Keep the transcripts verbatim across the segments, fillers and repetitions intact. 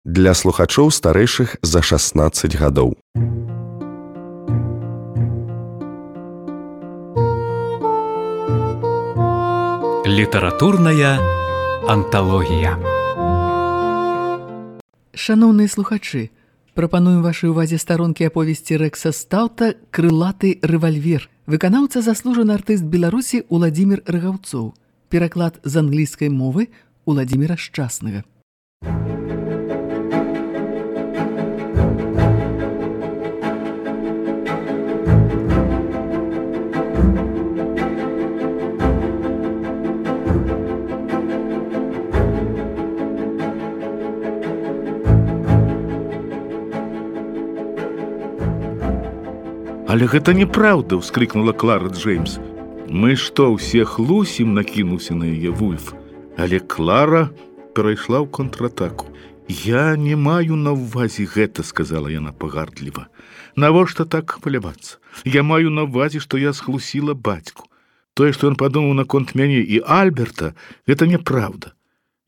Для слухачоў старэйшых за шаснаццаць гадоў. Літаратурная анталогія. Шаноўныя слухачы, прапануем вашай увазе старонкі аповесці Рэкса Стаўта «Крылаты рэвальвер». Выканаўца заслужаны артыст Беларусі Уладзімір Рагаўцоў. Пераклад з англійскай мовы Уладзіміра Шчаснага. «Але гэта неправда!» – вскрикнула Клара Джеймс. «Мы што, ўсе хлусім?» – накінуўся на яе Вульф. Але Клара перайшла ў контратаку. «Я не маю на ўвазе гэта», – сказала яна пагардліва. «Навошта так хвалявацца? Я маю на ўвазе, што я схлусіла бацьку. Тое, што ён падумаў наконт мяне і Альберта, гэта неправда.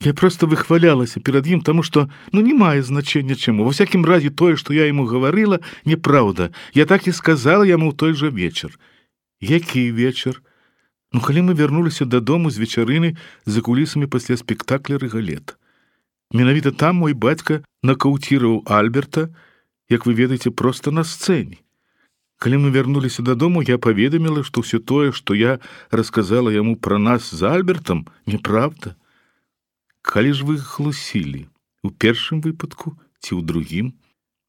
Я просто выхвалялася перад ім, таму што, ну, не мае значэння чаму. Во всякім разе тое, што я яму гаварыла, неправда. Я так і сказала яму ў той жа вечар». «Які вечар?» «Ну, калі мы вярнуліся дадому з вечарыны за кулісамі пасля спектакля «Рыгалет». Менавіта там мой бацька накаўціраў Альберта, як вы ведаеце, проста на сцэне. Калі мы вярнуліся дадому, я паведаміла, што ўсё тое, што я расказала яму пра нас з Альбертам, неправда. Калі ж вы хлусілі? У першым выпадку ці ў другім?»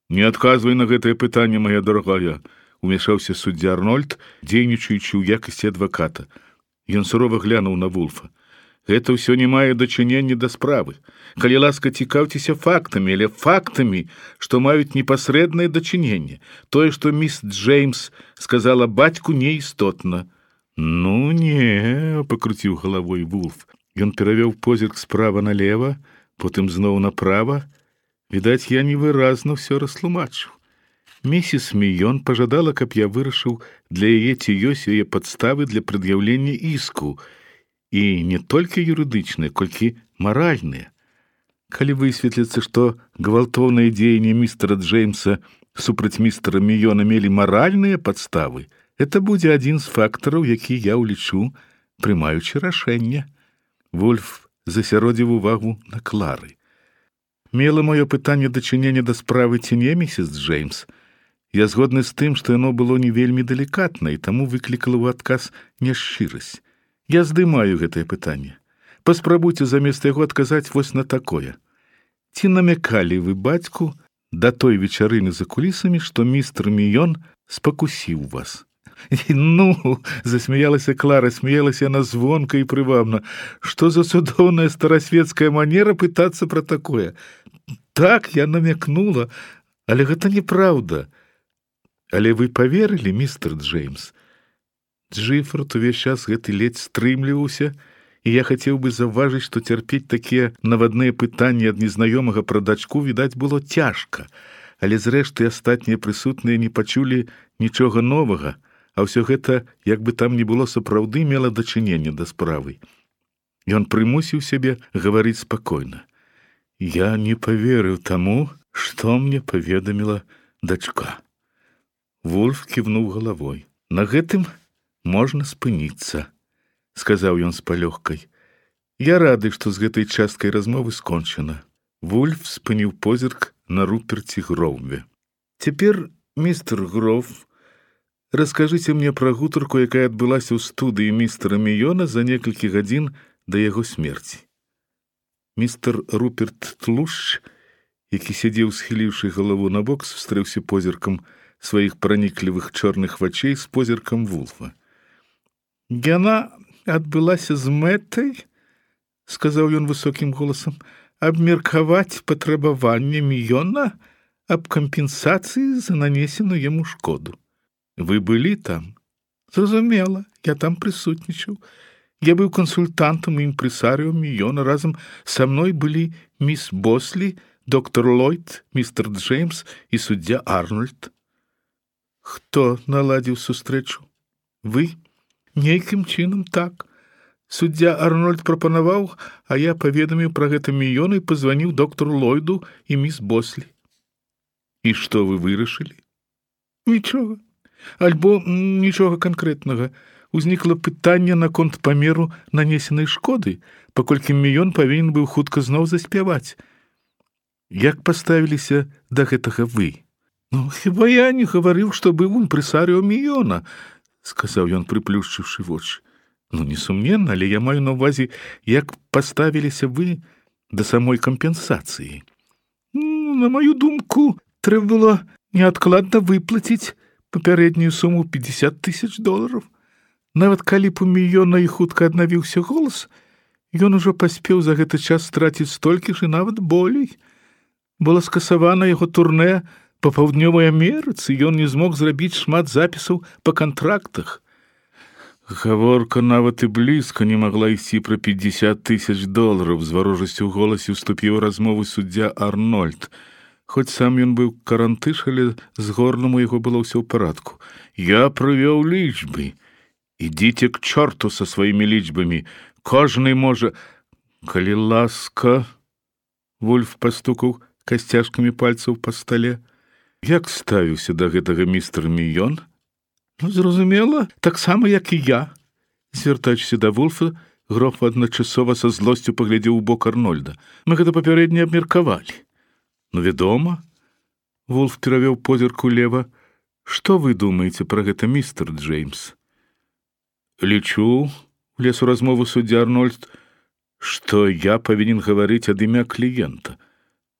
«Не адказвай на гэтае пытанне, моя дарагая», — умяшаўся суддзя Арнольд, дзейнічаючы ў якасці адваката. Ён сурова глянуў на Вульфа. «Гэта ўсё не мае дачынення да справы. Калі ласка, цікаўцеся фактамі, але фактамі, што маюць непасрэднае дачыненне. Тое, што міс Джеймс сказала бацьку, неістотна». «Ну не», — пакруціў галавой Вульф. Ён перавёў позірк справа налева, потым зноў направа. Відаць, я невыразна ўсё растлумачыў. Місіс Міён пажадала, каб я вырашыў для яе, ці ёсць яе падставы для прад'яўлення іску. І не толькі юрыдычныя, колькі маральныя. Калі высветліцца, што гвалтоўныя дзеянні містера Джеймса супраць містера Міёна мелі маральныя падставы, гэта будзе адзін з фактараў, які я ўлічу, прымаючы рашэнне». Вульф засяродзіў увагу на Клары. «Мела маё пытанне дачынення да справы ці не, місіс Джеймс? Я згодны з тым, што яно было не вельмі далікатна, і таму выклікала ў адказ няшчырасць. Я здымаю гэтае пытанне. Паспрабуйце замест яго адказаць вось на такое. Ці намякалі вы бацьку да той вечарыны за кулісамі, што містер Міён спакусіў вас?» «Ну!» — засмяялася Клара, смеялася яна звонка і прывабна. «Што за цудоўная старасветская манера пытацца пра такое? Так, я намякнула, але гэта неправда. Але вы паверылі, містер Джеймс?» Джиффорд увесь час гэты ледзь стрымліваўся, і я хацеў бы заўважыць, што цярпець такія навадныя пытанні ад незнаёмага пра дачку, відаць, было цяжка. Але зрэшты астатнія прысутныя не пачулі нічога новага, а ўсё гэта, як бы там ні было, сапраўды мела дачыненне да справы. Ён прымусіў сябе гаварыць спакойна. «Я не паверыў таму, што мне паведаміла дачка». Вульф ківнуў галавой. «На гэтым можна спыніцца», — сказаў ён з палёгкай. «Я рады, што з гэтай часткай размовы скончана». Вульф спыніў позірк на Руперце Гроўве. «Цяпер, містер Гроўв, раскажыце мне пра гутарку, якая адбылася ў студыі містера Міёна за некалькі гадзін да яго смерці». Містер Руперт Тлушч, які сядзеў, схіліўшы галаву на бок, сустрэўся позіркам сваіх праніклівых чорных вачэй з позіркам Вулфа. «Яна адбылася з мэтай, — сказаў ён высокім голасам, — абмеркаваць патрабаванне Міёна аб кампенсацыі за нанесеную яму шкоду. Вы былі там?» «Зразумела, я там прысутнічаў. Я быў кансультантам і імпрэсарыо Міёна. Разам са мной былі міс Бослі, доктор Ллойд, містер Джеймс і суддзя Арнольд». «Хто наладзіў сустрэчу? Вы?» «Нейкім чынам так. Суддзя Арнольд прапанаваў, а я паведаміў пра гэта мільён і пазваніў доктару Ллойду і міс Бослі. І што вы вырашылі? Нічога. Альбо нічога канкрэтнага. Узнікла пытанне наконт памеру нанесенай шкоды, паколькі мільён павінен быў хутка зноў заспяваць. Як паставіліся да гэтага вы? Ну, хіба я не гаварыў, што быў імпрэсарыо мільёна, сказаў ён, прыплюшчыўшы вочы. Ну, несумненна, але я маю на ўвазе, як паставіліся вы да самой кампенсацыі. Ну, на маю думку, трэба было неадкладна выплаціць папярэднюю суму пятьдесят тысяч долараў. Нават калі б у мільёна і хутка аднавіўся голас, ён ужо паспеў за гэты час страціць столькі ж і нават болей. Было скасавана яго турнэ па паўднёвай Амерыцы, ён не змог зрабіць шмат запісаў па кантрактах. Гаворка нават і блізка не магла ісці пра пятьдесят тысяч долараў, з варожасцю ў голасе ўступіў у размову суддзя Арнольд. Хоць сам ён быў карантыш, але з горлам у яго было ўсё ў парадку. Я прывёў лічбы. Ідзіце к чорту са сваімі лічбамі. Кожны можа... Калі ласка... Вульф пастукаў касцяшкамі пальцаў па стале. Як ставіўся да гэтага містер Мільён? Ну, зразумела, таксама, як і я. Звяртаючыся да Вульфа, гроф адначасова са злосцю паглядзеў у бок Арнольда. Мы гэта папярэдне абмеркавалі. Ну, вядома. Вульф перавёў позірк улева. Што вы думаеце пра гэта, містер Джеймс? Лічу, влез у размову суддзя Арнольд, што я павінен гаварыць ад імя кліента.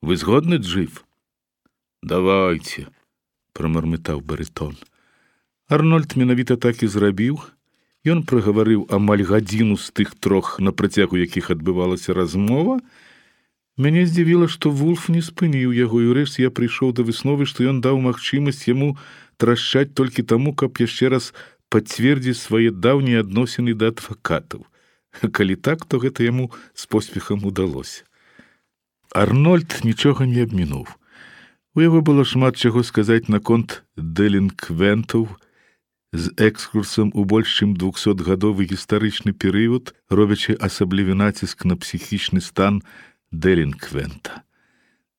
Вы згодны, Джив? Давайте, прамармытаў барытон. Арнольд менавіта так і зрабіў. Ён прагаварыў амаль гадзіну з тых трох, на працягу якіх адбывалася размова. Мяне здзівіла, што Вульф не спыніў яго, і ўрэшце я прыйшоў да высновы, што ён даў магчымасць яму трашчаць толькі таму, каб яшчэ раз пацвердзіць свае даўнія адносіны да адвакатаў. Калі так, то гэта яму з поспехам удалося. Арнольд нічога не абмінуў. У яго было шмат чаго сказаць наконт дэлінквентаў з экскурсам у больш чым двухсотгадовы гістарычны перыяд, робячы асаблівы націск на псіхічны стан дэлінквента.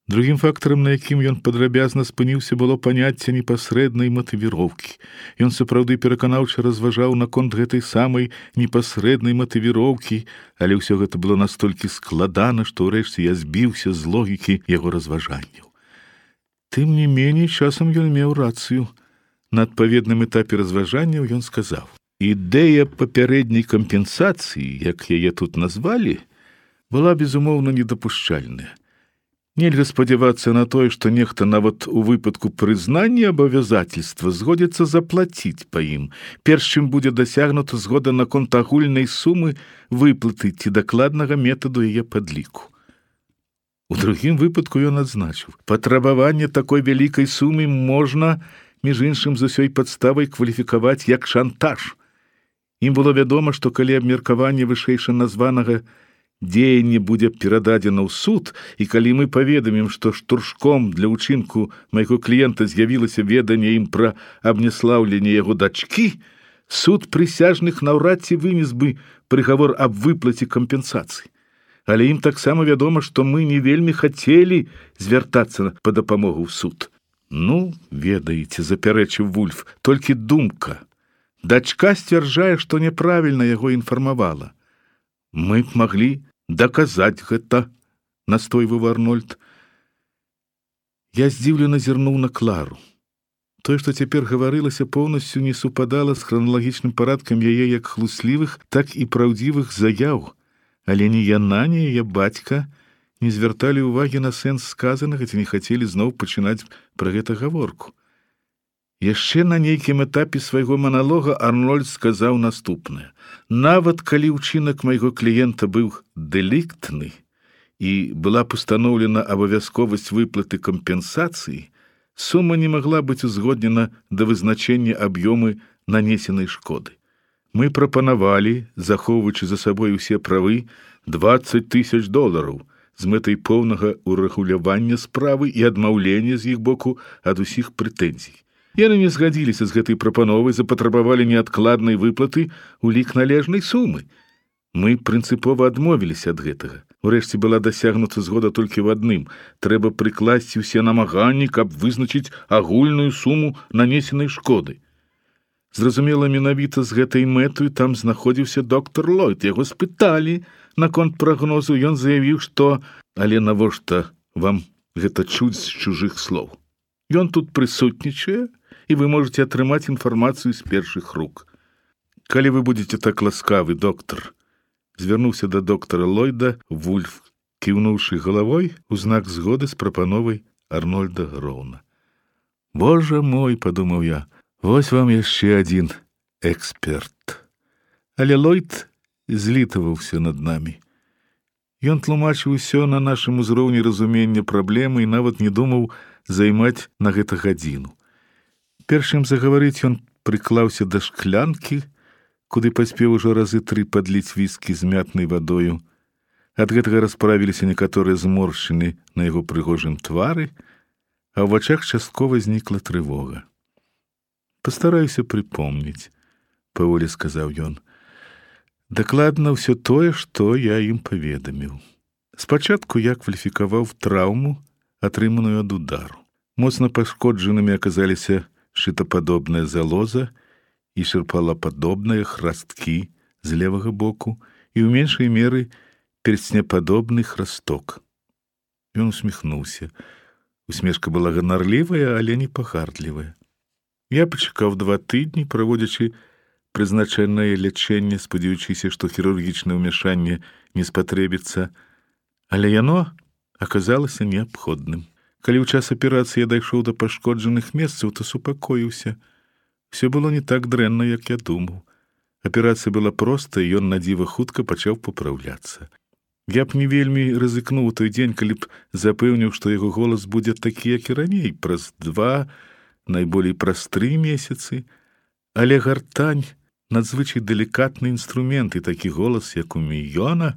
Другім фактарам, на якім ён падрабязна спыніўся, было паняцце непасрэднай матывіроўкі. Ён сапраўды пераканаўча разважаў наконт гэтай самай непасрэднай матывіроўкі, але ўсё гэта было настолькі складана, што ўрэшце я збіўся з логікі яго разважанняў. Тым не меней, часам ён меў рацыю. На адпаведным этапе разважанняў ён сказаў: «Ідэя папярэдняй кампенсацыі, як яе тут назвалі, была, безумоўна, недапушчальная. Нельга спадзявацца на тое, што нехта нават у выпадку прызнання абавязательства згодзіцца заплаціць па ім, перш чым будзе дасягнута згода наконт агульнай сумы выплаты ці дакладнага метаду яе падліку». У другім выпадку ён адзначыў: «Патрабаванне такой вялікай сумы можна, між іншым, з усёй падставай кваліфікаваць як шантаж. Ім было вядома, што калі абмеркаванне вышэйша названага дзеянне будзе перададзена ў суд, і калі мы паведамім, што штуршком для ўчынку майго кліента з'явілася веданне ім пра абняслаўленне яго дачкі, суд прысяжных наўрад ці вынес бы прыгавор аб выплаце кампенсацыі. Але ім таксама вядома, што мы не вельмі хацелі звяртацца па дапамогу ў суд». «Ну, ведаеце, запярэчыў Вульф, толькі думка. Дачка сцвярджае, што няправільна яго інфармавала. Мы б маглі даказаць гэта», — настойваў Арнольд. Я здзіўлена зірнуў на Клару. Тое, што цяпер гаварылася, поўнасцю не супадала з храналагічным парадкам яе як хлуслівых, так і праўдзівых заяў. Але ні яна, ні яе бацька не звярталі ўвагі на сэнс сказанага, ці не хацелі зноў пачынаць пра гэта гаворку. Яшчэ на нейкім этапе свайго маналога Арнольд сказаў наступнае: «Нават калі ўчынак майго кліента быў дэліктны і была пастаноўлена абавязковасць выплаты кампенсацыі, сума не магла быць узгоднена да вызначэння аб'ёмы нанесенай шкоды. Мы прапанавалі, захоўваючы за сабой усе правы, дваццаць тысяч долараў з мэтай поўнага урэгулявання справы і адмаўлення з іх боку ад усіх прэтэнзій. Яны не згадзіліся з гэтай прапановай, запатрабавалі неадкладнай выплаты ў лік належнай сумы. Мы прынцыпова адмовіліся ад гэтага. Урэшце была дасягнута згода толькі в адным. Трэба прыкласці ўсе намаганні, каб вызначыць агульную суму нанесенай шкоды. Зразумела, менавіта з гэтай мэтаю там знаходзіўся доктор Ллойд. Яго спыталі наконт прагнозу. Ён заявіў, што «Але навошта вам гэта чуць з чужых слоў? Ён тут прысутнічае, і вы можете атрымаць інфармацыю з першых рук. Калі вы будзеце так ласкавы, доктар», звярнуўся да доктара Ллойда Вульф, кіўнуўшы галавой у знак згоды з прапановай Арнольда Гроўна. «Божа мой», — падумаў я, — «вось вам яшчэ адзін эксперт». Але Ллойд злітаваўся над намі. Ён тлумачыў усё на нашым узроўні разумення праблемы і нават не думаў займаць на гэта гадзіну. Першым загаварыць ён прыклаўся да шклянкі, куды паспеў ужо разы тры падліць віскі з мятнай вадою. Ад гэтага расправіліся некаторыя зморшчыны на яго прыгожым твары, а ў вачах часткова знікла трывога. «Пастараюся прыпомніць», — паволі сказаў ён. «Дакладна ўсё тое, што я ім паведаміў. Спачатку я кваліфікаваў траўму, атрыманую ад удару. Моцна пашкоджанымі аказаліся шытападобная залоза і шырпалападобныя храсткі з левага боку і ў меншай меры перстнепадобны храсток». Ён усміхнуўся. Усмешка была ганарлівая, але не пагардлівая. Я пачакаў два тыдні, праводзячы прызначанае лячэнне, спадзяючыся, што хірургічнае ўмяшанне не спатрэбіцца, але яно аказалася неабходным. Калі ў час аперацыі я дайшоў да пашкоджаных месцаў, то супакоіўся. Все было не так дрэнна, як я думаў. Аперацыя была проста, і ён надзіва хутка пачаў папраўляцца. Я б не вельмі рызыкнуў у той дзень, калі б запэўніў, што яго голас будзе такі, як і раней, праз два, найболей праз тры месяцы, але гартань — надзвычай далікатны інструмент, і такі голас, як у Мійона,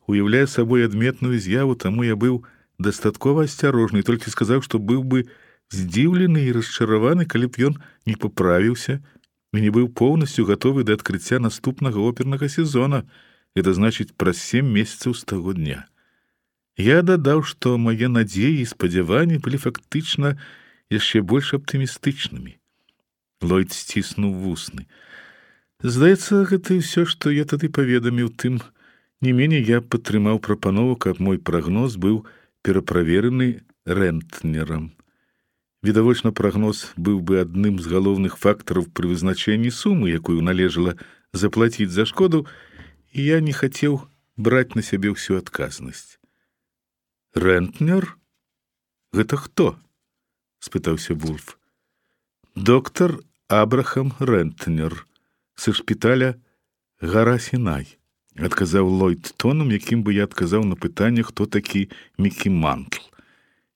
уяўляе сабой адметную з'яву, таму я быў дастаткова асцярожны і толькі сказаў, што быў бы здзіўлены і расчараваны, калі б ён не паправіўся і не быў поўнасцю гатовы да адкрыцця наступнага опернага сезона, это значыць праз сем месяцаў з таго дня. Я дадаў, што мае надзеі і спадзяванні былі фактычна яшчэ больш аптымістычнымі. Ллойд сціснуў вусны. Здаецца, гэта і ўсё, што я тады паведаміў. Тым не меней я падтрымаў прапанову, каб мой прагноз быў пераправерены рэнтнерам. Відавочна, прагноз быў бы адным з галоўных фактараў пры вызначэнні сумы, якую належала заплаціць за шкоду, і я не хацеў браць на сябе ўсю адказнасць. «Рэнтнер? Гэта хто?» — спытаўся Вульф. «Доктар Абрахам Рэнтнер са шпіталя Гара Сінай», — адказаў Ллойд тоном, якім бы я адказаў на пытанне, хто такі Мікі Мантл.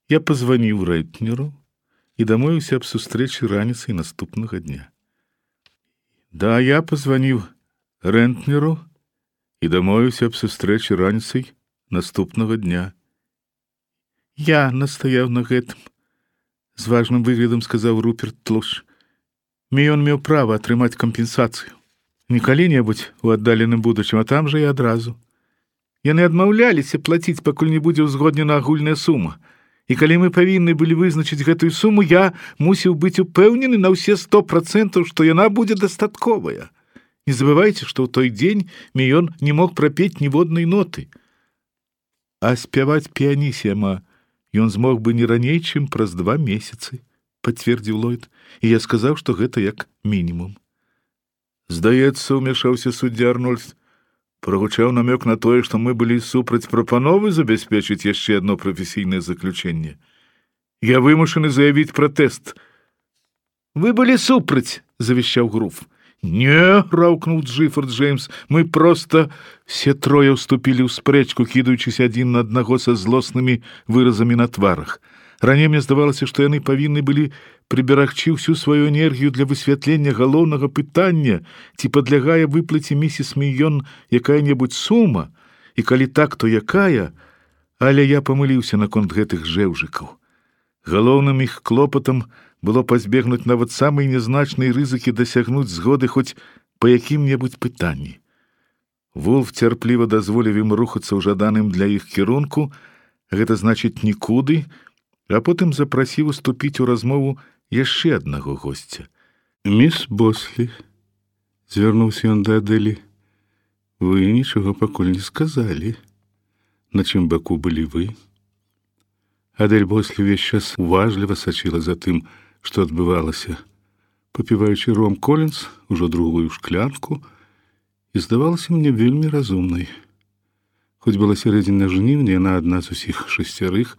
Я пазваніў Рэнтнеру і дамовіўся аб сустрэчы раніцай наступнага дня. Да, я пазваніў Рэнтнеру і дамовіўся аб сустрэчы раніцай наступнага дня. Я настаяў на гэтым, з важным выглядам сказаў Руперт Тлуш. Міён меў права атрымаць кампенсацыю. Не калі-небудзь у аддаленым будучым, а там жа і адразу. Яны адмаўляліся плаціць, пакуль не будзе ўзгоднена агульная сума. І калі мы павінны былі вызначыць гэтую суму, я мусіў быць упэўнены на ўсе сто процентаў, што яна будзе дастатковая. Не забывайце, што ў той дзень Міён не мог прапець ніводнай ноты. А спяваць піянісіма ён змог бы не раней, чым праз два месяцы, пацвердзіў Ллойд, і я сказаў, што гэта як мінімум. Здаецца, умяшаўся суддзя Арнольд, прагучаў намёк на тое, што мы былі супраць прапановы забяспечыць яшчэ адно прафесійнае заключэнне. Я вымушаны заявіць пратэст. Вы былі супраць, завещаў Груф. Не, раўкнуў Джиффорд Джеймс, мы проста... Все трое ўступілі ў спрэчку, кідаючыся адзін на аднаго са злоснымі выразамі на тварах. Раней мне здавалася, што яны павінны былі прыберагчы ўсю сваю энергію для высвятлення галоўнага пытання, ці падлягае выплаце місіс Мійон якая-небудзь сума, і калі так, то якая, але я памыліўся наконт гэтых жэўжыкаў. Галоўным іх клопатам было пазбегнуць нават самай нязначнай рызыкі дасягнуць згоды хоць па якім-небудзь пытанні. Вулф цярпліва дазволіў ім рухацца ў жаданым для іх кірунку, гэта значыць нікуды, а потым запрасіў уступіць у размову яшчэ аднаго госця. «Міс Бослі», — звярнуўся ён да Адэлі, — «вы нічога пакуль не сказалі. На чым баку былі вы?» Адэль Бослі ўвесь час уважліва сачыла за тым, што адбывалася, папіваючы ром Колінс, ужо другую шклянку, і здавалася мне вельмі разумнай. Хоць была сярэдзіна жніўня, яна адна з усіх шасцярых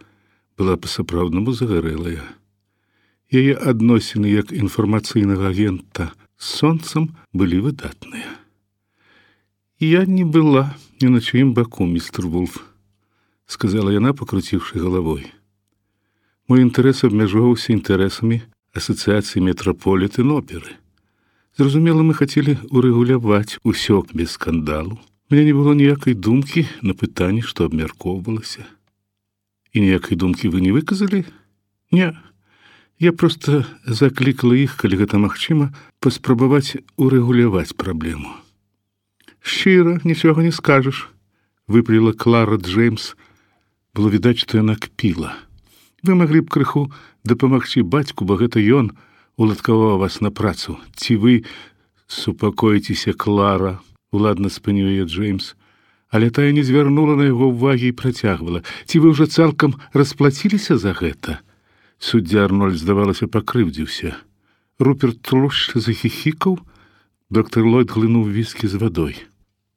была па-сапраўднаму загарэлая. Яе адносіны як інфармацыйнага агента з сонцам былі выдатныя. «Я не была ні на чыім баку, містер Вулф», — сказала яна, пакруціўшы галавой. «Мой інтарэс абмяжоўваўся інтарэсамі асацыяцыі Метраполітэн-оперы. Зразумела, мы хацелі урэгуляваць усё без скандалу. У мяне не было ніякай думкі на пытанні, што абмяркоўвалася». «І ніякай думкі вы не выказалі?» «Не. Я проста заклікала іх, калі гэта магчыма, паспрабаваць урэгуляваць праблему». «Шчыра, нічога не скажаш», — выпаліла Клара Джеймс. Было відаць, што яна кпіла. «Вы маглі б крыху дапамагчы бацьку, бо гэта ён уладкаваў вас на працу. Ці вы...» «Супакойцеся, Клара», — уладна спыніў яе Джеймс. Але тая не звярнула на яго ўвагі і працягвала. «Ці вы ўжо цалкам расплаціліся за гэта?» Суддзя Арнольд, здавалася, пакрыўдзіўся. Руперт тлушча захіхікаў. Доктор Ллойд глынуў віскі з вадой.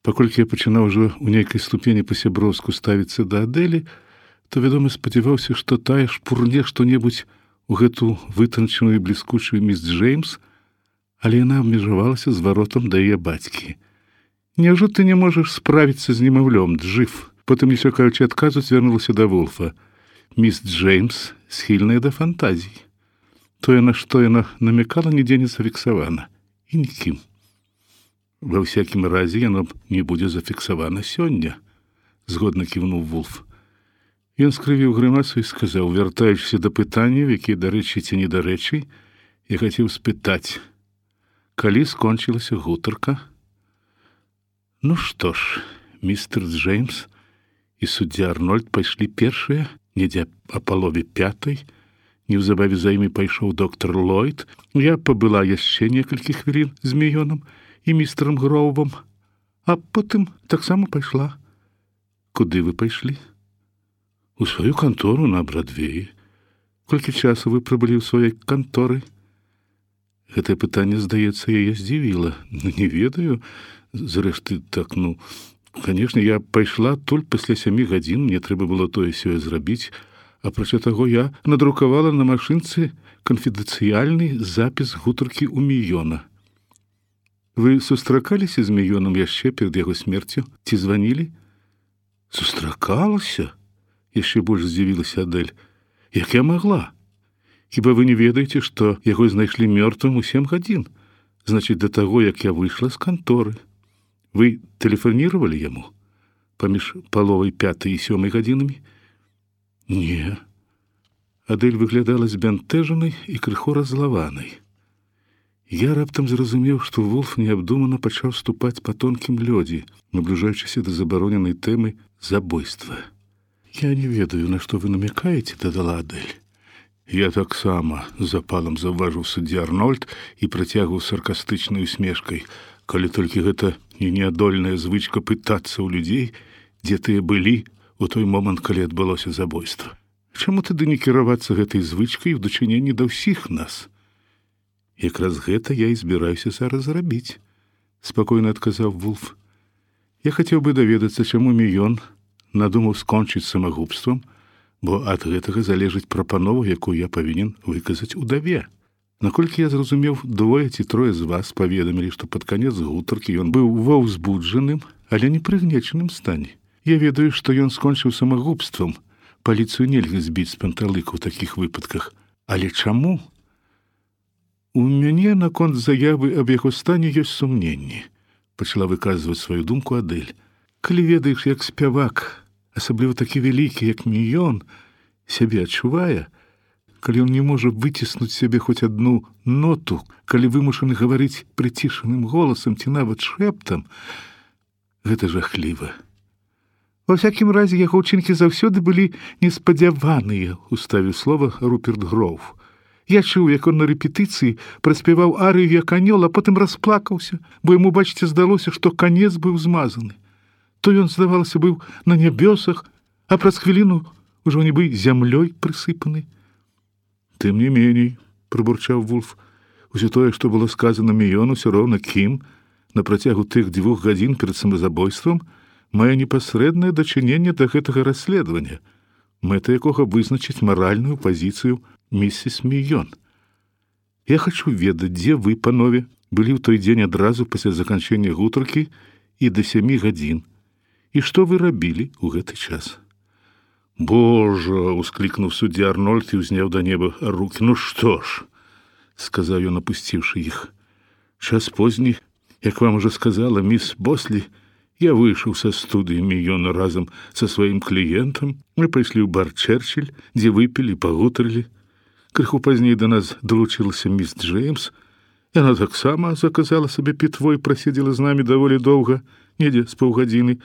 Паколькі я пачынаў ужо ў нейкай ступені па-сяброўску ставіцца да Адэлі, то, вядома, спадзяваўся, што тая шпурне што-небудзь у гэту вытанчаную і бліскучую міс Джеймс, але яна абмежавалася зваротам да яе бацькі. «Няўжо ты не можаш справіцца з немаўлём, Джыф?» Потым, не чакаючы адказу, звярнулася да Вулфа. «Міс Джеймс схільная да фантазій. Тое, на што яна намякала, нідзе не зафіксавана. І нікім. Ва ўсякім разе яно не будзе зафіксавана сёння», — згодна кіўнуў Вулф. Ён скрывіў грымасу і сказаў, вяртаючыся да пытанняў, якія дарэчы ці недарэчы, я хацеў спытаць, калі скончылася гутарка? «Ну што ж, містер Джеймс і суддзя Арнольд пайшлі першыя, недзе а палове пятай. Неўзабаве за імі пайшоў доктор Ллойд. Я пабыла яшчэ некалькі хвілін з Міёнам і містерам Гроувам, а потым таксама пайшла». «Куды вы пайшлі?» «У сваю кантору на Брадвеі. Колькі часу вы прыбылі ў сваёй канторы?» Гэтае пытанне, здаецца, яе здзівіла. «Ну, не ведаю. Зрэшты, так, ну, канешне, я пайшла толькі пасля сямі гадзін, мне трэба было тое-сёе зрабіць, апрача таго я надрукавала на машынцы канфідэнцыяльны запіс гутаркі ў Міёна». «Вы сустракаліся з Міёнам яшчэ перад яго смерцю? Ці званілі?» «Сустракалася?» Яшчэ больш здзівілася Адэль. «Як я магла? Хіба вы не ведаеце, што яго знайшлі мёртвым у сем гадзін? Значыць, да таго, як я выйшла з канторы. Вы тэлефанировали яму паміж паловай пятай і сёмай гадзінамі?» «Не». Адэль выглядала збянтэжанай і крыху раззлаванай. Я раптам зразумеў, што Вулф неабдумана пачаў ступаць па тонкім лёдзе, набліжаючыся да забароненай тэмы забойства. «Я не ведаю, на што вы намякаеце», — дадала Адэль. «Я таксама», — запалам заўважыў суддзя Арнольд і працягваў саркастычнай усмешкай, «калі толькі гэта не неадольная звычка пытацца ў людзей, дзе тыя былі у той момант, калі адбылося забойства. Чаму тады не кіравацца гэтай звычкай у дачыненні да ўсіх нас?» «Якраз гэта я і збіраюся зараз зрабіць», — спакойна адказаў Вулф. «Я хацеў бы даведацца, чаму Міён надумаў скончыць самагубствам, бо ад гэтага залежыць прапанову, якую я павінен выказаць удаве. Наколькі я зразумеў, двое ці трое з вас паведамілі, што пад канец гутаркі ён быў ва ўзбуджаным, але не прыгнечаным стане. Я ведаю, што ён скончыў самагубствам. Паліцыю нельга збіць з панталыка ў такіх выпадках. Але чаму? У мяне наконт заявы аб яго стане ёсць сумненні», — пачала выказваць сваю думку Адэль. «Калі ведаеш, як спявак, асабліва такі вялікі, як Міён, сябе адчувае, калі ён не можа выціснуць сябе хоць адну ноту, калі вымушаны гаварыць прыцішаным голасам ці нават шэптам, Гэта жахліва. Ва всякім разе яго ўчынкі заўсёды былі неспадзяваныя, уставіў слова Руперт Гроув. Я чуў, як он на рэпетыцыі праспяваў арыю як анёл, а потым расплакаўся, бо яму, бачыце, здалося, што канец быў змазаны. То ён, здавалася, быў на нябёсах, а праз хвіліну ужо нібы зямлёй прысыпаны. Тым не меней, прабурчаў Вульф, усё тое, што было сказана Міёну, усё роўна кім, на працягу тых дзвюх гадзін перад самазабойствам, мае непасрэднае дачыненне да гэтага расследавання, мэта якога вызначыць маральную пазіцыю міссіс Міён. Я хачу ведаць, дзе вы, панове, былі ў той дзень адразу пасля заканчэння гутаркі і да сямі гадзін, і што вы рабілі ў гэты час. Божа, усклікнуў суддзя Арнольд і ўзняў да неба рукі. Ну што ж, сказаў ён, апусціўшы іх. Час позні, як вам ужо сказала міс Бослі, я выйшаў са студыі Міёна разам са сваім кліентам. Мы пайшлі ў бар Чэрчыль, дзе выпілі, пагутарылі. Крыху пазней да нас далучылася міс Джеймс. Яна таксама заказала сабе пітво і прасидзела з намі даволі доўга, недзе з паўгадзіны,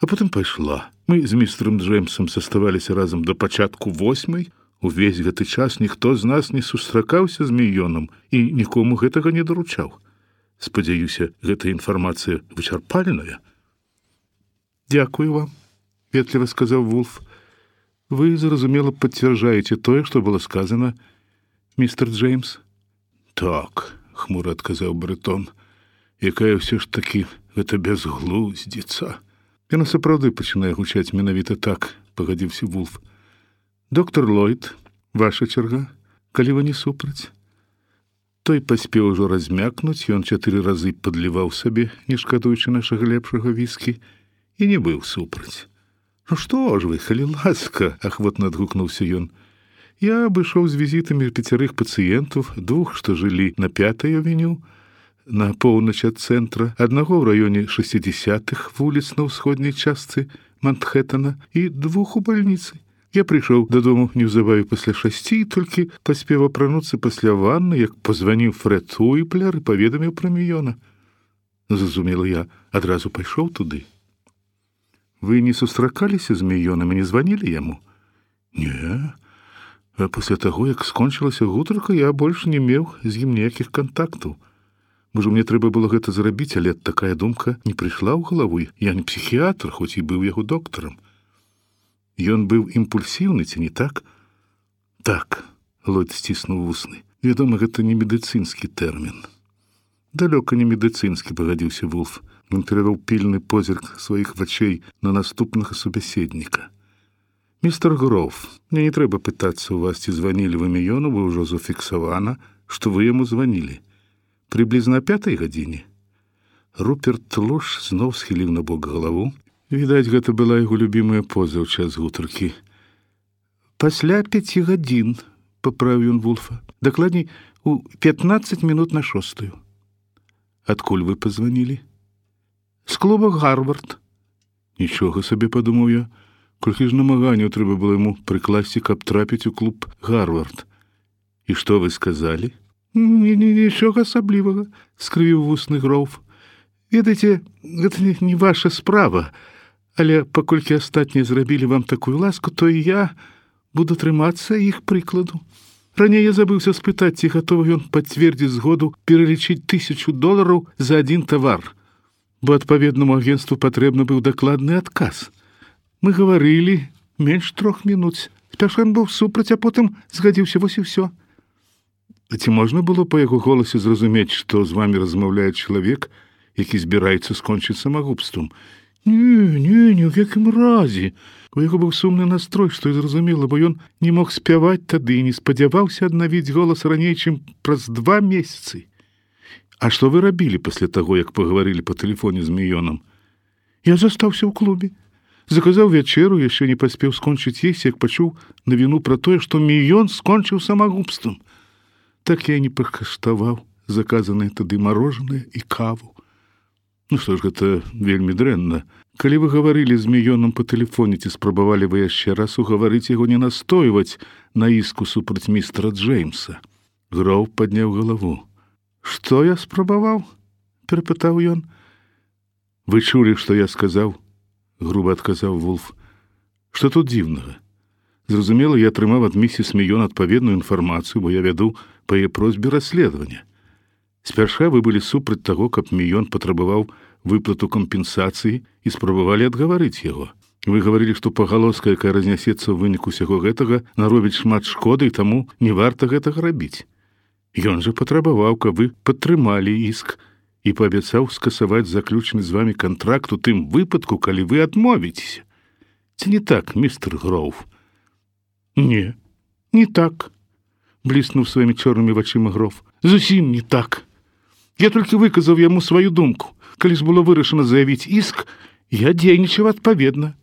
а потым пайшла. Мы з містером Джеймсом заставаліся разам да пачатку восьмай. Увесь гэты час ніхто з нас не сустракаўся з Міёнам і нікому гэтага не даручаў. Спадзяюся, гэта інфармацыя вычарпальная. Дякую вам, ветліва сказаў Вульф. Вы, зразумела, пацвярджаеце тое, што было сказана, містер Джеймс? Так, хмура адказаў барытон. Якая ўсё ж такі гэта бязглуздзіца. Яна сапраўды пачынае гучаць менавіта так, пагадзіўся Вульф. Доктор Ллойд, ваша чарга, калі вы не супраць. Той паспеў ужо размякнуць, ён чатыры разы падліваў сабе, не шкадуючы нашага лепшага віскі, і не быў супраць. Ну што ж вы, калі ласка, ахвотна адгукнуўся ён. Я абышоў з візітамі пяцярых пацыентаў, двух, што жылі на пятай авеню, на поўнач ад цэнтра, аднаго ў раёне шэсцідзясятых вуліц на ўсходняй частцы Манхэттана і двух у бальніцы. Я прыйшоў дадому неўзабаве пасля шасці і толькі паспеў апрануцца пасля ванны, як пазваніў Фрэд Уіплер і паведаміў пра Міёна. Зразумела, я адразу пайшоў туды. Вы не сустракаліся з Міёнам і не званілі яму? Не. А пасля таго, як скончылася гутарка, я больш не меў з ім ніякіх кантактаў. Можа, мне трэба было гэта зрабіць, але такая думка не прыйшла ў галаву. Я не псіхіятр, хоць і быў яго доктарам. Ён быў імпульсіўны, ці не так? Так, Ллойд сціснуў вусны. Вядома, гэта не медыцынскі тэрмін. Далёка не медыцынскі, пагадзіўся Вульф. Ён перавёў пільны позірк сваіх вачэй на наступнага субяседніка. Містер Гроув, мне не трэба пытацца ў вас, ці званілі вы Міёну, бо ўжо зафіксавана, што вы яму званілі. Прыблізна пятай гадзіне. Руперт Лош зноў схіліў на бок галаву. Відаць, гэта была яго любімая поза ў час гутаркі. Пасля пяці гадзін, паправіў ён Вульфа. Дакладней, у пятнаццаць мінут на шостую. Адкуль вы пазванілі? З клуба Гарвард. Нічога сабе, падумаў я. Колькі ж намаганняў трэба было яму прыкласці, каб трапіць у клуб Гарвард. І што вы сказалі? Нічога асаблівага, скрывіў вусны Гроув. Ведаеце, гэта не, не ваша справа, але паколькі астатнія зрабілі вам такую ласку, то і я буду трымацца іх прыкладу. Раней я забыўся спытаць, ці гатовы ён пацвердзіць згоду пералічыць тысячу долараў за адзін тавар, бо адпаведнаму агенству патрэбны быў дакладны адказ. Мы гаварылі менш трох мінут. Спярша ён быў супраць, а потым згадзіўся, вось і ўсё. А ці можна было па яго голасе зразумець, што з вамі размаўляе чалавек, які збіраецца скончыць самагубствам? Не, не, ні ў якім разе. У яго быў сумны настрой, што і зразумела, бо ён не мог спяваць тады і не спадзяваўся аднавіць голас раней, чым праз два месяцы. А што вы рабілі пасля таго, як пагаварылі па тэлефоне з Міёнам? Я застаўся ў клубе. Заказаў вячэру, яшчэ не паспеў скончыць есці, як пачуў навіну пра тое, што Міён скончыў самагубствам. Так я не пакаштаваў заказанае тады марожанае і каву. Ну што ж, гэта вельмі дрэнна. Калі вы гаварылі з Міёнам па тэлефоне, ці спрабавалі вы яшчэ раз угаварыць яго не настойваць на іску супраць містера Джеймса? Гроув падняў галаву. Што я спрабаваў? Перапытаў ён. Вы чулі, што я сказаў? Груба адказаў Вулф. Што тут дзіўнага? Зразумела, я атрымаў ад місіс Міён адпаведную інфармацыю, бо я вяду па яе просьбе расследавання. Спярша вы былі супраць таго, каб Міён патрабаваў выплату кампенсацыі і спрабавалі адгаварыць яго. Вы гаварылі, што пагалоска, якая разнясецца ў выніку усяго гэтага, наробіць шмат шкоды, і таму не варта гэтага рабіць. Ён жа патрабаваў, каб вы падтрымалі іск і паабяцаў скасаваць заключаны з вамі кантракт у тым выпадку, калі вы адмовіцеся. Ці не так, містер Гроув? Не, не так, бліснуў сваімі чорнымі вачыма Гроув. Зусім не так. Я толькі выказаў яму сваю думку. Калі ж было вырашана заявіць іск, я дзейнічаў адпаведна.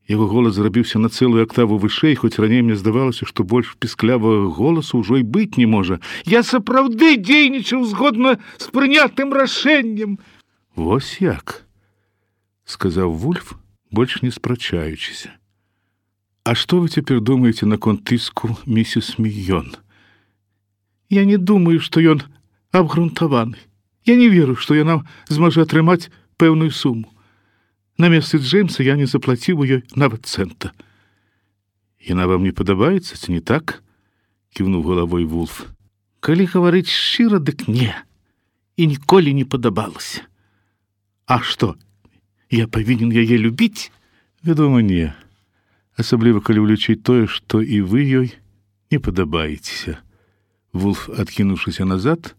Яго голас зрабіўся на цэлую актаву вышэй, хоць раней мне здавалася, што больш пісклявага голасу ўжо і быць не можа. Я сапраўды дзейнічаў згодна з прынятым рашэннем. Вось як, сказаў Вульф, больш не спрачаючыся. А што вы цяпер думаеце наконт тыску місіс Міён? Я не думаю, што ён абгрунтаваны. Я не веру, што яна зможа атрымаць пэўную суму. На месцы Джеймса я не заплаціў у ёй нават цэнта. Яна вам не падабаецца, ці не так? Кіўнуў галавой Вулф. Калі гаварыць шчыра, дык не. І ніколі не падабалася. А што, я павінен яе любіць? Вядома, не. Асабліва, калі ўлічыць тое, што і вы ёй не падабаецеся. Вулф, адкінуўшыся назад,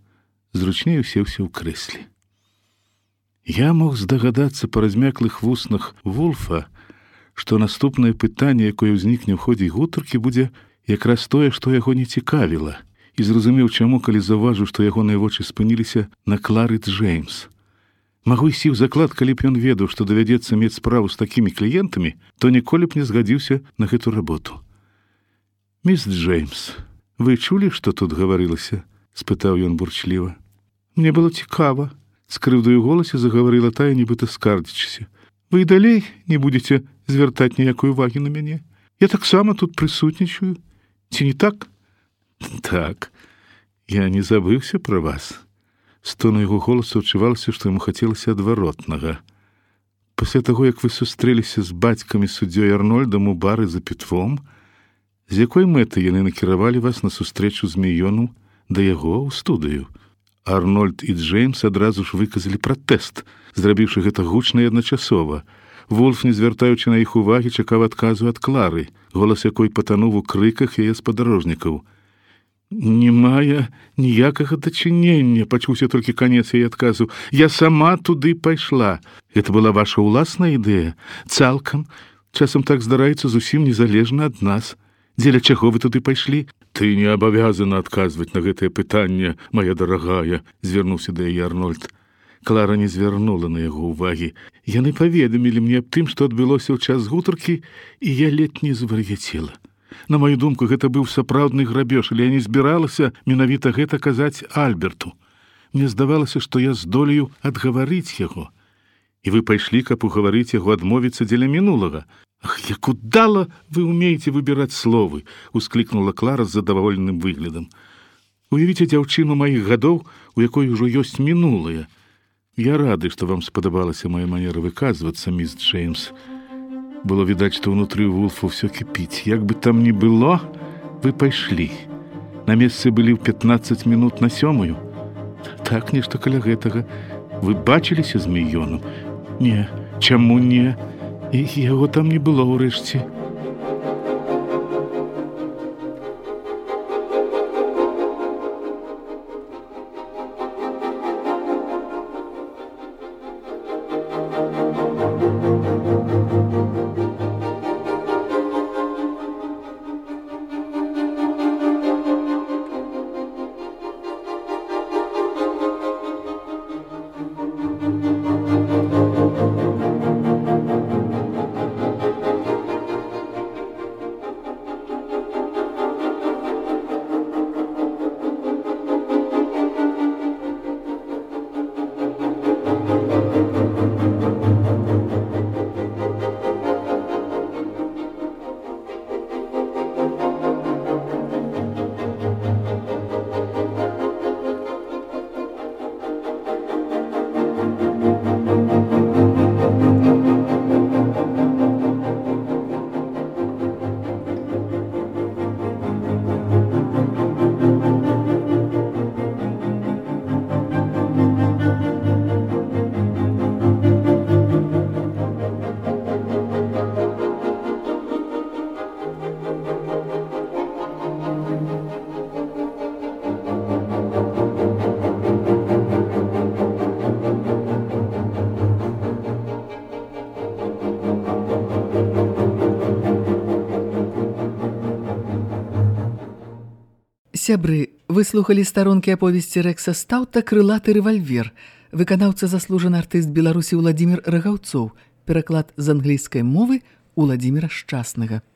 зручней усеўся ў крэсле. Я мог здагадацца па размяклых вуснах Вулфа, што наступнае пытанне, якое ўзнікне ў ходзе гутаркі, будзе якраз тое, што яго не цікавіла, і зразумеў, чаму, калі заўважыў, што ягоныя вочы спыніліся на Клары Джеймс. Магу ісці ў заклад, калі б ён ведаў, што давядзецца мець справу з такімі кліентамі, то ніколі б не згадзіўся на гэту работу. Міс Джеймс, вы чулі, што тут гаварылася? Спытаў ён бурчліва. Мне было цікава. З крыўдаю голасе загаварыла тая, нібыта скардзячыся. Вы і далей не будзеце звяртаць ніякой увагі на мяне? Я таксама тут прысутнічаю. Ці не так? Так. Я не забыўся пра вас. З тону яго голасу адчувалася, што яму хацелася адваротнага. Пасля таго, як вы сустрэліся з бацькам і суддзёй Арнольдам у бары за пітвом, з якой мэтай яны накіравалі вас на сустрэчу з Міёном да яго ў студыю? Арнольд і Джеймс адразу ж выказалі пратэст, зрабіўшы гэта гучна і адначасова. Вулф, не звяртаючы на іх увагі, чакаў адказу ад Клары, голас якой патануў у крыках яе спадарожнікаў. Не мае ніякага дачынення, пачуўся толькі канец яе адказу. Я сама туды пайшла. Гэта была ваша ўласная ідэя? Цалкам. Часам так здараецца зусім незалежна ад нас. Дзеля чаго вы туды пайшлі? Ты не абавязана адказваць на гэтае пытанне, моя дарагая, звярнуўся да яе Арнольд. Клара не звярнула на яго ўвагі. Яны паведамілі мне аб тым, што адбылося ў час гутаркі, і я ледь не звар'яцела. На маю думку, гэта быў сапраўдны грабеж, але я не збіралася менавіта гэта казаць Альберту. Мне здавалася, што я здолею адгаварыць яго. І вы пайшлі, каб угаварыць яго адмовіцца дзеля мінулага. Ах, як удала вы умееце выбіраць словы, усклікнула Клара з задаволеным выглядам. Уявіце дзяўчыну маіх гадоў, у якой ужо ёсць мінулае. Я рады, што вам спадабалася моя манера выказвацца, міс Джеймс. Было відаць, што ўнутры Вулфа ўсё кіпіць. Як бы там ні было, вы пайшлі. На месцы былі ў пятнаццаць мінут на сёмую. Так, нешта каля гэтага. Вы бачыліся з Міёном? Не, чаму не? І яго там не было ўрэшце. сябры, вы слухалі старонкі аповесці Рэкса Стаўта «Крылаты рэвальвер». Выканаўца заслужаны артыст Беларусі Уладзімір Рагаўцоў. Пераклад з англійскай мовы Уладзіміра Шчаснага.